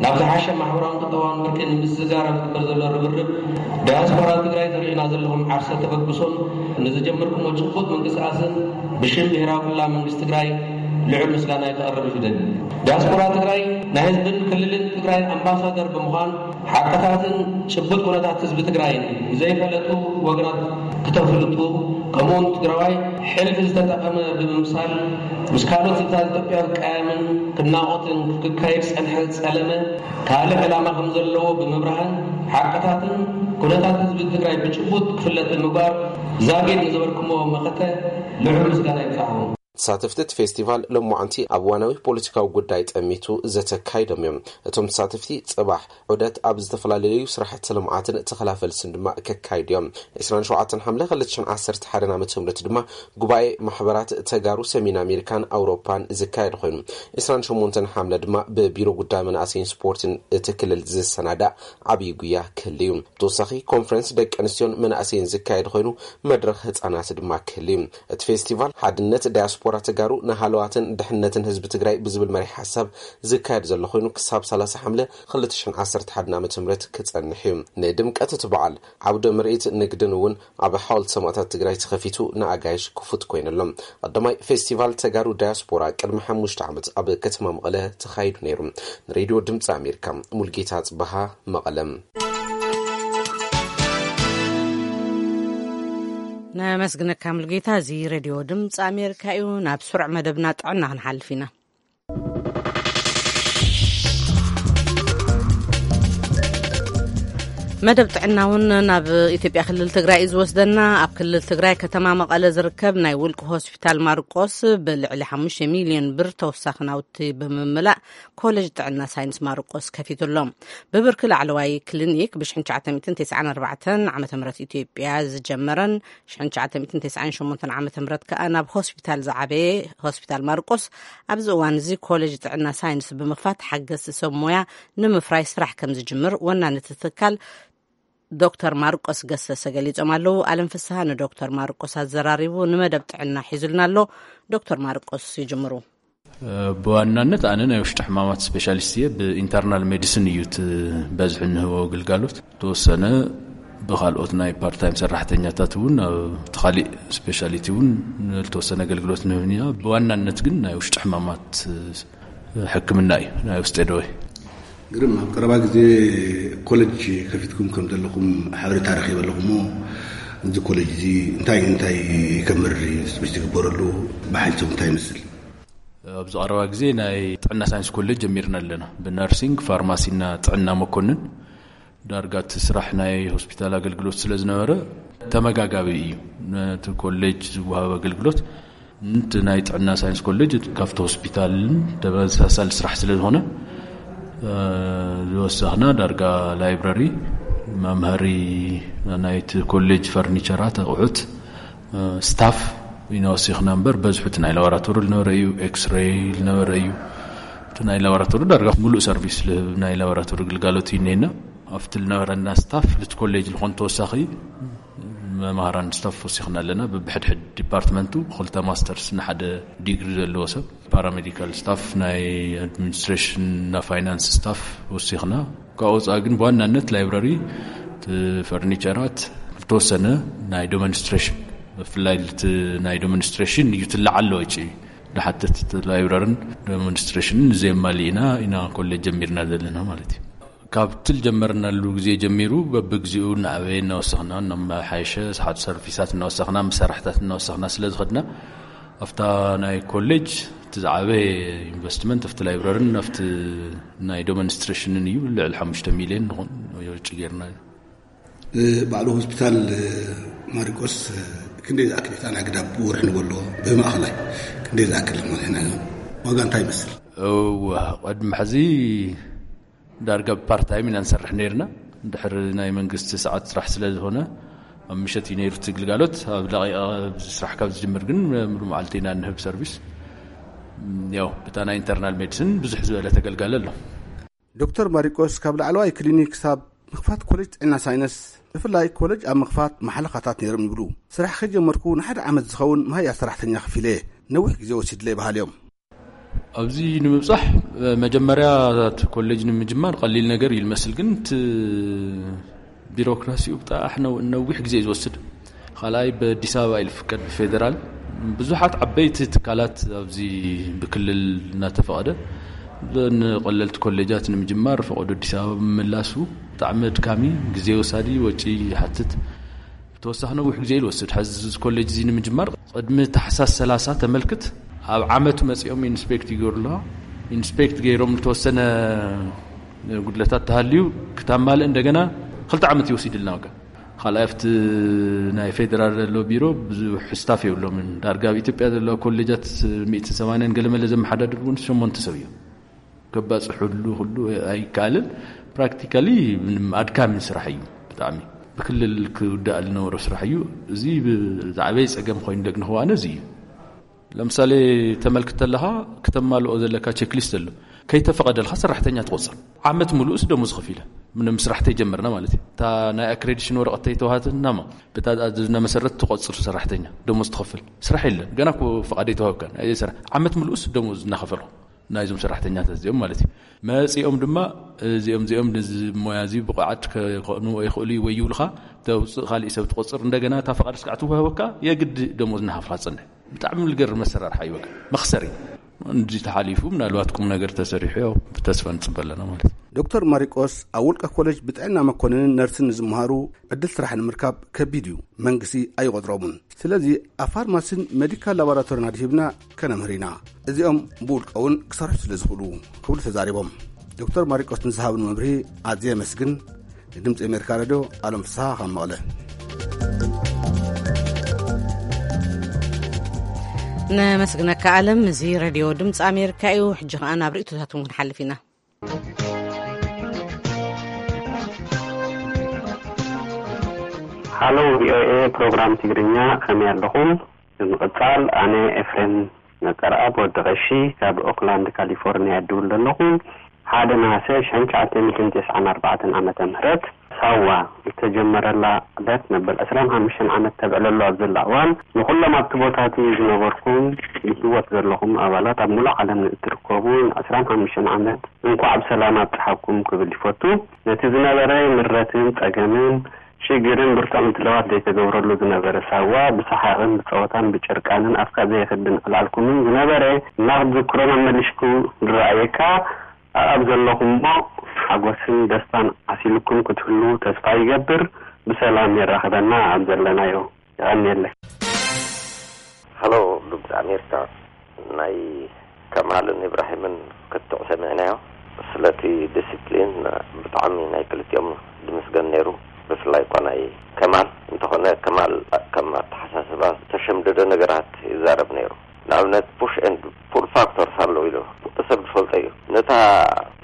ናብ ዝሓሸ ማሕበራውን ቁጠባውን ብርኪ ንምስግጋር ኣብ ዝግበር ዘሎ ርብርብ ዳያስፖራ ትግራይ ተሪእና ዘለኹም ዓርሰ ተበግሶን ንዝጀመርኩሞ ጭቡጥ ምንቅስቃስን ብሽም ብሄራዊ ክልላዊ መንግስቲ ትግራይ ልዑል ምስጋና ከቕርብ ይደሊ። ዳያስፖራ ትግራይ ናይ ህዝብን ክልልን ትግራይ ኣምባሳደር ብምዃን ሓቅታትን ጭቡጥ ኩነታት ህዝቢ ትግራይን ንዘይፈለጡ ወገናት ክተፍልጡ፣ ከምኡውን ትግራዋይ ሕልፊ ዝተጠቐመ ብምምሳል ምስ ካልኦት ህዝብታት ኢትዮጵያ ክቀያየምን ክናቖትን ክካየድ ዝጸንሐ ዝጸለመ ካልእ ዕላማ ከም ዘለዎ ብምብራህን ሓቅታትን ኩነታት ህዝቢ ትግራይ ብጭቡጥ ክፍለጥ ብምግባር ዛጊድ ንዝበርክሞ መኸተ ልዑል ምስጋና ይብጻሕኹም። ተሳተፍቲ እቲ ፌስቲቫል ሎማዓንቲ ኣብ እዋናዊ ፖለቲካዊ ጉዳይ ጠሚቱ ዘተ ኣካይዶም እዮም። እቶም ተሳተፍቲ ጽባሕ ዑደት ኣብ ዝተፈላለዩ ስራሕቲ ልምዓትን ተኸላ ፈልስን ድማ ከካይዱ እዮም። ዕስራን ሸውዓተን ሓምለ ክልተ ሽሕን ዓሰርተ ሓደን ዓመተ ምህረት ድማ ጉባኤ ማሕበራት ተጋሩ ሰሜን ኣሜሪካን ኣውሮፓን ዝካየድ ኮይኑ፣ ዕስራን ሸሞንተን ሓምለ ድማ ብቢሮ ጉዳይ መናእሰይን ስፖርትን እቲ ክልል ዝሰናዳእ ዓብዪ ጉያ ክህሉ እዩ። ተወሳኺ ኮንፈረንስ ደቂ ኣንስትዮን መናእሰይን ዝካየድ ኮይኑ፣ መድረኽ ህፃናት ድማ ክህሉ እዩ። እቲ ፌስቲቫል ሓድነት ዳያስፖራ ዳያስፖራ ተጋሩ ንሃለዋትን ድሕነትን ህዝቢ ትግራይ ብዝብል መሪሕ ሓሳብ ዝካየድ ዘሎ ኮይኑ፣ ክሳብ ሰላሳ ሓምለ ክልተ ሽሕን ዓሰርተ ሓደን ዓመተ ምህረት ክጸንሕ እዩ። ንድምቀት እቲ በዓል ዓውደ ምርኢት ንግድን እውን ኣብ ሓወልቲ ሰማእታት ትግራይ ተኸፊቱ ንኣጋይሽ ክፉት ኮይኑ ኣሎ። ቀዳማይ ፌስቲቫል ተጋሩ ዳያስፖራ ቅድሚ ሓሙሽተ ዓመት ኣብ ከተማ መቐለ ተኻይዱ ነይሩ። ንሬድዮ ድምፂ ኣሜሪካ፣ ሙልጌታ ጽበሃ፣ መቐለ። ነመስግነካ ሙልጌታ። እዚ ሬድዮ ድምፂ ኣሜሪካ እዩ። ናብ ስሩዕ መደብና ጥዕና ክንሓልፍ ኢና። መደብ ጥዕና እውን ናብ ኢትዮጵያ ክልል ትግራይ እዩ ዝወስደና። ኣብ ክልል ትግራይ ከተማ መቐለ ዝርከብ ናይ ውልቂ ሆስፒታል ማርቆስ ብልዕሊ ሓሙሽተ ሚልዮን ብር ተወሳኺ ናውቲ ብምምላእ ኮሌጅ ጥዕና ሳይንስ ማርቆስ ከፊቱ ኣሎ። ብብርኪ ላዕለዋይ ክሊኒክ ብ ሽሕን ትሽዓተ ሚእትን ተስዓን ኣርባዕተን ዓመተ ምህረት ኢትዮጵያ ዝጀመረን ሽሕን ትሽዓተ ሚእትን ተስዓን ሸሞንተን ዓመተ ምህረት ከኣ ናብ ሆስፒታል ዝዓበየ ሆስፒታል ማርቆስ ኣብዚ እዋን እዚ ኮሌጅ ጥዕና ሳይንስ ብምኽፋት ሓገዝቲ ሰብ ሞያ ንምፍራይ ስራሕ ከም ዝጅምር ወናኒ እቲ ትካል ዶክተር ማርቆስ ገሰሰ ገሊጾም ኣለዉ። ኣለም ፍስሃ ንዶክተር ማርቆስ ኣዘራሪቡ ንመደብ ጥዕና ሒዙልና ኣሎ። ዶክተር ማርቆስ ይጅምሩ። ብዋናነት ኣነ ናይ ውሽጢ ሕማማት ስፔሻሊስት እየ። ብኢንተርናል ሜዲሲን እዩ እቲ በዝሒ እንህቦ ግልጋሎት። ተወሰነ ብካልኦት ናይ ፓርታይም ሰራሕተኛታት እውን ኣብ እቲ ካሊእ ስፔሻሊቲ እውን ዝተወሰነ ኣገልግሎት ንህብን ኢና። ብዋናነት ግን ናይ ውሽጢ ሕማማት ሕክምና እዩ፣ ናይ ውስጢ ደዌ። ግርም፣ ኣብ ቀረባ ግዜ ኮሌጅ ከፊትኩም ከም ዘለኹም ሓበሬታ ረኺበ ኣለኹ እሞ፣ እዚ ኮሌጅ እዚ እንታይ እንታይ ከም መርሪ ዝግበረሉ ብሓይልቶም እንታይ ይመስል? ኣብዚ ቀረባ ግዜ ናይ ጥዕና ሳይንስ ኮሌጅ ጀሚርና ኣለና። ብነርሲንግ፣ ፋርማሲና ጥዕና መኮንን ዳርጋ እቲ ስራሕ ናይ ሆስፒታል ኣገልግሎት ስለ ዝነበረ ተመጋጋቢ እዩ። ነቲ ኮሌጅ ዝወሃብ ኣገልግሎት ነቲ ናይ ጥዕና ሳይንስ ኮሌጅ ካብቲ ሆስፒታልን ተመሳሳሊ ስራሕ ስለ ዝኾነ፣ እ፣ ዝወሰኽና ዳርጋ ላይብረሪ፣ መምሃሪ፣ ናይቲ ኮሌጅ ፈርኒቸራት፣ ኣቑሑት፣ እ፣ ስታፍ ኢና ወሲኽና እምበር በዝሑ እቲ ናይ ላቦራቶሪ ዝነበረ እዩ፣ ኤክስሬይ ዝነበረ እዩ። እቲ ናይ ላቦራቶሪ ዳርጋ ሙሉእ ሰርቪስ ልህብ ናይ ላቦራቶሪ ግልጋሎት እዩ እኒሄና። ኣብቲ ዝነበረና ስታፍ ልቲ ኮሌጅ ዝኾን ተወሳኺ መምሃራን ስታፍ ወሲኽና ኣለና። ብብሕድሕድ ዲፓርትመንቱ ክልተ ማስተርስ ንሓደ ዲግሪ ዘለዎ ሰብ፣ ፓራሜዲካል ስታፍ፣ ናይ ኣድሚኒስትሬሽን እና ፋይናንስ ስታፍ ወሲኽና። ካብ ወፃኢ ግን ብዋናነት ላይብረሪ፣ እቲ ፈርኒቸራት፣ ዝተወሰነ ናይ ዶመንስትሬሽን፣ ብፍላይ እቲ ናይ ዶመንስትሬሽን እዩ ትለዓለ ወጪ ዝሓትት፣ እቲ ላይብረርን ዶመንስትሬሽንን ዘየማልእና ኢና ኮሌጅ ጀሚርና ዘለና ማለት እዩ። ካብቲ ዝጀመርናሉ ግዜ ጀሚሩ በብግዚኡ እናኣበየ እናወሰኽና፣ እናመሓየሸ፣ ሰሓት ሰርቪሳት እናወሰኽና፣ መሳርሕታት እናወሰኽና ስለ ዝኸድና፣ ኣብታ ናይ ኮሌጅ እቲ ዝዓበየ ኢንቨስትመንት ኣብቲ ላይብረርን ኣብቲ ናይ ዶመንስትሬሽንን እዩ። ልዕሊ ሓሙሽተ ሚልዮን ንኾን ወጪ ጌርና። ባዕሉ ሆስፒታል ማሪቆስ ክንደይ ዝኣክል ኢታን ኣግዳብ ብወርሒ ንበሎ ብማእኸላይ ክንደይ ዝኣክል ማለት ኢና? ዋጋ እንታይ ይመስል? እወ፣ ቅድሚ ሕዚ ዳርጋ ብፓርታይም ኢና ንሰርሕ ነይርና። ድሕሪ ናይ መንግስቲ ሰዓት ስራሕ ስለ ዝኾነ ኣብ ምሸት እዩ ነይሩ እቲ ግልጋሎት። ኣብ ደቂቃ ስራሕ ካብ ዝጅምር ግን ሙሉ መዓልቲ ኢና ንህብ ሰርቪስ። ያው ብታ ናይ ኢንተርናል ሜዲሲን ብዙሕ ዝበለ ተገልጋሊ ኣሎ። ዶክተር ማሪቆስ ካብ ላዕለዋይ ክሊኒክ ክሳብ ምኽፋት ኮሌጅ ጥዕና ሳይንስ፣ ብፍላይ ኮሌጅ ኣብ ምኽፋት መሓለኻታት ነይሮም ይብሉ። ስራሕ ከጀመርኩ ንሓደ ዓመት ዝኸውን መሃያ ሰራሕተኛ ከፊለ ነዊሕ ግዜ ወሲድለይ በሃሊ እዮም። ኣብዚ ንምብጻሕ መጀመርያ እቲ ኮሌጅ ንምጅማር ቀሊል ነገር እዩ ዝመስል፣ ግን እቲ ቢሮክራሲኡ ብጣሕ ነው-፣ ነዊሕ ግዜ እዩ ዝወስድ። ካልኣይ ብኣዲስ ኣበባ እዩ ዝፍቀድ፣ ብፌደራል። ብዙሓት ዓበይቲ ትካላት ኣብዚ ብክልል እናተፈቐደ፣ ንቀለልቲ ኮሌጃት ንምጅማር ፈቐዶ ኣዲስ ኣበባ ምምላሱ ብጣዕሚ ኣድካሚ፣ ግዜ ወሳዲ፣ ወጪ ይሓትት። ብተወሳኺ ነዊሕ ግዜ እዩ ዝወስድ። ሕዚ እዚ ኮሌጅ እዚ ንምጅማር ቅድሚ ታሕሳስ ሰላሳ ተመልክት ኣብ ዓመቱ መጺኦም ኢንስፔክት ይገብሩ ኣለዋ። ኢንስፔክት ገይሮም ዝተወሰነ ጉድለታት ተሃልዩ ክታማልእ እንደገና ክልተ ዓመት ይወስድልና። ወገን ካልኣይ ኣብቲ ናይ ፌደራል ዘሎ ቢሮ ብዙሕ ስታፍ የብሎምን። ዳርጋ ኣብ ኢትዮጵያ ዘለዋ ኮሌጃት ሚእትን ሰማንያን ገለመለ ዘመሓዳድሩ እውን ሸሞንተ ሰብ እዮም። ከባጽሕሉ ኩሉ ኣይከኣልን። ፕራክቲካሊ ምንም ኣድካሚ ስራሕ እዩ ብጣዕሚ። ብክልል ክውዳእ ዝነበሮ ስራሕ እዩ። እዚ ብዛዕበይ ጸገም ኮይኑ ደግ ንኽዋነ እዚ እዩ። ለምሳሌ ተመልክት ተለኻ ክተማልኦ ዘለካ ቼክሊስት ኣሎ። ከይተፈቐደልካ ሰራሕተኛ ትቆፅር። ዓመት ሙሉእስ ደሞዝ ከፊለ ምንም ስራሕ ተይጀመርና ማለት እዩ። እታ ናይ ኣክሬዲሽን ወረቐት ተይተዋሃተትና ማ፣ በታ ዝና መሰረት ትቆፅር ሰራሕተኛ፣ ደሞዝ ትኸፍል። ስራሕ የለን፣ ገና እኮ ፈቓድ ኣይተዋህብካን። ኣየ ስራሕ፣ ዓመት ሙሉእስ ደሞዝ እናኸፈልኩ ናይዞም ሰራሕተኛታት እዚኦም ማለት እዩ። መፂኦም ድማ እዚኦም፣ እዚኦም ነዚ ሞያ እዚ ብቑዓት ከኾኑ ኣይኽእሉ እዩ ወይ ይብሉኻ፣ ተውፅእ፣ ካሊእ ሰብ ትቆፅር፣ እንደገና እታ ፈቓድ እስካዕ ትዋህበካ የግድ ደሞዝ እናኸፍልካ ትፀንሕ። ብጣዕሚ ልገርም መሰራርሓ እዩ። በቃ መኽሰሪ እንዲ ተሓሊፉ ምናልባት ቁም ነገር ተሰሪሑ ያው ብተስፋ ንፅበ ኣለና ማለት እዩ። ዶክተር ማሪቆስ ኣብ ውልቀ ኮሌጅ ብጥዕና መኮንንን ነርስን ንዝመሃሩ ዕድል ስራሕ ንምርካብ ከቢድ እዩ፣ መንግስቲ ኣይቆፅሮምን። ስለዚ ኣብ ፋርማሲን ሜዲካል ላቦራቶሪን ኣድሂብና ከነምህር ኢና፣ እዚኦም ብውልቀ እውን ክሰርሑ ስለ ዝኽእሉ ክብሉ ተዛሪቦም። ዶክተር ማሪቆስ ንዝሃብን መብርሂ ኣዝየ የመስግን። ንድምፂ ኣሜሪካ ሬድዮ ኣለም ፍስሃ ካብ መቐለ። ነመስግነካ ኣለም። እዚ ሬድዮ ድምፂ ኣሜሪካ እዩ። ሕጂ ከኣ ናብ ርእቶታት እውን ክንሓልፍ ኢና። ሃሎ ቪኦኤ ፕሮግራም ትግርኛ፣ ከመይ ኣለኹም? ብምቕጻል ኣነ ኤፍሬም ነጸርኣብ ወዲ ቐሺ ካብ ኦክላንድ ካሊፎርኒያ እድውል ዘለኹ። ሓደ ነሓሰ ሽሕን ትሽዓተ ሚእትን ተስዓን ኣርባዕተን ዓመተ ምህረት ሳዋ ዝተጀመረላ ዕለት መበል ዕስራን ሓሙሽተን ዓመት ተብዕለሉ ኣብ ዘላ እዋን፣ ንኹሎም ኣብቲ ቦታቲ ዝነበርኩም ብህይወት ዘለኹም ኣባላት ኣብ ሙሉእ ዓለም ንእትርከቡ ንዕስራን ሓሙሽተን ዓመት እንኳዕ ብሰላም ኣብጽሓኩም ክብል ይፈቱ። ነቲ ዝነበረ ምረትን ጸገምን ሽግርን ብርቱዕ ምድላዋት ዘይተገብረሉ ዝነበረ ሳዋ ብሰሓቕን ብጸወታን ብጨርቃንን ኣፍካ ዘየኽድን ዕላልኩምን ዝነበረ እናኽትዝክሮ መመሊሽኩ ዝረኣየካ ኣኣብ ዘለኹሞ ሓጎስን ደስታን ዓሲልኩም ክትህሉ ተስፋ ይገብር። ብሰላም የራኽበና ኣብ ዘለናዮ። የቐንየለይ። ሃሎ ድምፂ ኣሜሪካ፣ ናይ ከማልን ኢብራሂምን ክትዕ ሰሚዕናዮ። ስለቲ ዲስፕሊን ብጣዕሚ ናይ ክልቲኦም ድምስገን ነይሩ። ብፍላይ እኳ ናይ ከማል እንተኾነ፣ ከማል ከም ኣተሓሳስባ ዝተሸምደደ ነገራት ይዛረብ ነይሩ። ንኣብነት ፑሽ ኤንድ ፑል ፋክተርስ ኣለዉ ኢሉ ሰብ ዝፈልጦ እዩ። ነታ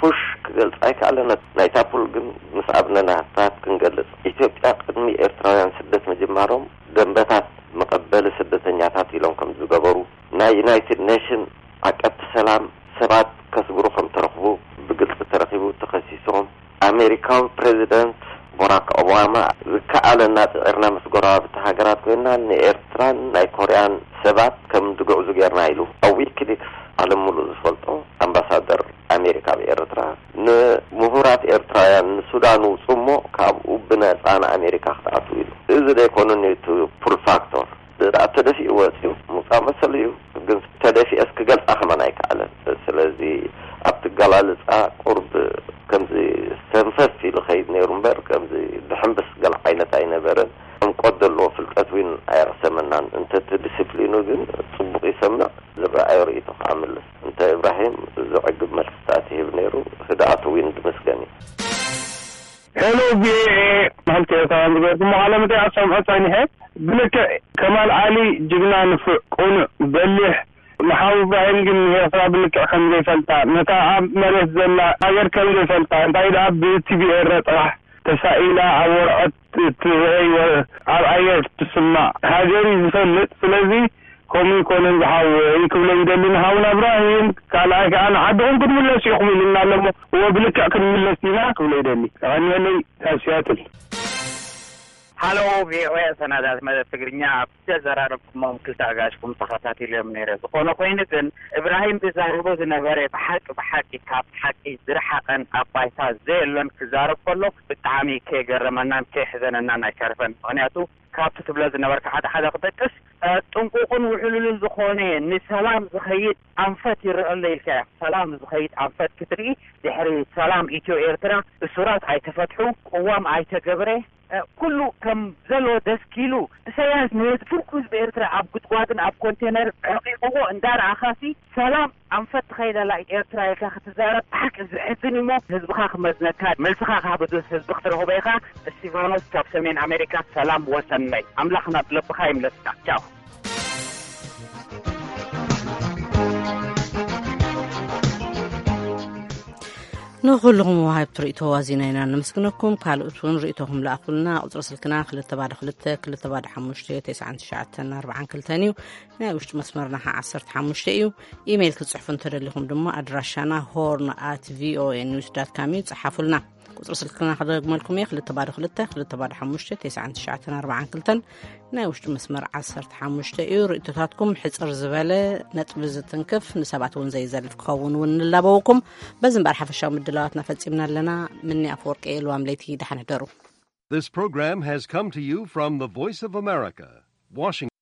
ፑሽ ክገልፃ ኣይከኣለን፣ ናይታ ፑል ግን ምስ ኣብነናታት ክንገልፅ። ኢትዮጵያ ቅድሚ ኤርትራውያን ስደት ምጅማሮም ደንበታት መቐበሊ ስደተኛታት ኢሎም ከም ዝገበሩ፣ ናይ ዩናይትድ ኔሽን ዓቀብቲ ሰላም ሰባት ከስግሩ ከም ተረኽቡ ብግልፂ ተረኺቡ ተኸሲሶም። ኣሜሪካዊ ፕሬዚደንት ቦራክ ኦባማ ዝከኣለና ፅዒርና ምስ ጎረባብቲ ሃገራት ኮይና ንኤርትራን ናይ ኮርያን ሰባት ከም ዝግዕዙ ጌርና ኢሉ። ኣብ ዊኪሊክስ ዓለም ሙሉእ ዝፈልጦ ኣምባሳደር ኣሜሪካ ኣብ ኤርትራ ንምሁራት ኤርትራውያን ንሱዳን ውፁ እሞ ካብኡ ብነፃ ንኣሜሪካ ክትኣትዉ ኢሉ። እዚ ዘይኮነኒ እቲ ፑል ፋክቶር ደኣ ተደፊኡ ወፂኡ ምውፃእ መሰሉ እዩ። ግን ተደፊኤስ ክገልፃ ከማን ኣይከኣለን። ስለዚ ኣብቲ ገላልፃ ቁርብ ከምዚ ሰንፈፍ ኢሉ ከይድ ነይሩ እምበር ከምዚ ድሕንብስ ገለ ዓይነት ኣይነበረን። ዕምቆት ዘለዎ ፍልጠት እውን ኣየቕሰመናን። እንተቲ ዲስፕሊኑ ግን ፅቡቕ ይሰምዕ፣ ዝረኣዮ ርእይቶ ከዓ ምልስ። እንተ እብራሂም ዘዕግብ መልስታት ይህብ ነይሩ። ህድኣቱ እውን ድመስገን እዩ። ሄሎ ቪኦኤ ማለት ኤርትራውያን ዝገርኩሞ ቃለ መጠይቕ ሰምዖ ጸኒሐ። ብልክዕ ከማል ዓሊ ጅግና፣ ንፉዕ፣ ቅኑዕ፣ በሊሕ፣ ንሓው እብራሂም ግን ንኤርትራ ብልክዕ ከም ዘይፈልጣ፣ ነታ ኣብ መሬት ዘላ ሃገር ከም ዘይፈልጣ፣ እንታይ ደኣ ብቲቪ ኤረ ጥራሕ ተሳኢላ ኣብ ወረቐት እትርአይ ወ-፣ ኣብ ኣየር ትስማዕ ሃገር እዩ ዝፈልጥ። ስለዚ ከምኡ ይኮነን ዝሓወይ ክብሎ ይደሊ ንሃውና እብራሂም። ካልኣይ ከኣ ንዓድኹም ክትምለሱ ኢኹም ኢሉና ኣሎ እሞ፣ እወ ብልክዕ ክንምለስ ኢና ክብሎ ይደሊ። የቐንየለይ ካብ ሲያትል። ሃሎ ቪኦኤ ሰናዳት መደብ ትግርኛ፣ ኣብ ዘዘራረብኩሞም ክልተ ኣጋሽኩም ተኸታቲሎም ነይረ። ዝኾነ ኮይኑ ግን እብራሂም ዝዛረቦ ዝነበረ ብሓቂ ብሓቂ ካብ ሓቂ ዝረሓቐን ኣብ ባይታ ዘየሎን ክዛረብ ከሎ ብጣዕሚ ከይገረመናን ከይሕዘነናን ኣይተርፈን። ምኽንያቱ ካብቲ ትብሎ ዝነበርካ ሓደ ሓደ ክጠቅስ፣ እ፣ ጥንቁቕን ውሕሉልን ዝኾነ ንሰላም ዝኸይድ ኣንፈት ይረአ ኣሎ ኢልካ ኢኻ። ሰላም ዝኸይድ ኣንፈት ክትርኢ ድሕሪ ሰላም ኢትዮ ኤርትራ እሱራት ኣይተፈትሑ፣ ቅዋም ኣይተገብረ፣ እ፣ ኩሉ ከም ዘሎ ደስኪሉ፣ ኢሳያስ ንህዝቢ፣ ፍርቁ ህዝቢ ኤርትራ ኣብ ጉድጓድን ኣብ ኮንቴነር ዕቂቕዎ እንዳረኣኻሲ፣ ሰላም ኣንፈት ትኸይደላ ኤርትራ ኢልካ ክትዛረብ ብሓቂ ዘሕዝን እሞ፣ ህዝብኻ ክመዝነካ፣ መልስኻ ካብ ህዝቢ ክትረኽቦ ኢኻ። እስቲፋኖስ ካብ ሰሜን ኣሜሪካ፣ ሰላም ወሰናይ። ኣምላኽ ናብ ልብኻ ይምለስካ። ቻው። ንኹልኹም ወሃብቲ ርእቶ ዋዚና ኢና ነመስግነኩም። ካልኦት እውን ርእቶኹም ለኣኹልና። ቁፅሪ ስልክና ክልተ ባዶ ክልተ ክልተ ባዶ ሓሙሽተ ተስዓን ትሽዓተን ኣርባዓን ክልተን እዩ። ናይ ውሽጢ መስመርና ከዓ ዓሰርተ ሓሙሽተ እዩ። ኢሜይል ክትፅሕፉ እንተደሊኹም ድማ ኣድራሻና ሆርን ኣት ቪኦኤ ኒውስ ዳት ካም እዩ። ፀሓፉልና። ቁፅሪ ስልክና ክደግመልኩም እየ። ክልተ ባዶ ክልተ ክልተ ባዶ ሓሙሽተ ተስዓን ትሽዓተን ኣርባዓን ክልተን። ናይ ውሽጢ መስመር ዓሰርተ ሓሙሽተ እዩ። ርእቶታትኩም ሕፅር ዝበለ፣ ነጥቢ ዝትንክፍ፣ ንሰባት እውን ዘይዘልፍ ክኸውን እውን ንላበወኩም። በዚ እምበኣር ሓፈሻዊ ምድላዋትና ፈፂምና ኣለና። ምኒ ኣፈወርቂ እየ። ልዋም ለይቲ ደሓን ሕደሩ። This program has come to you from the Voice of America, Washington.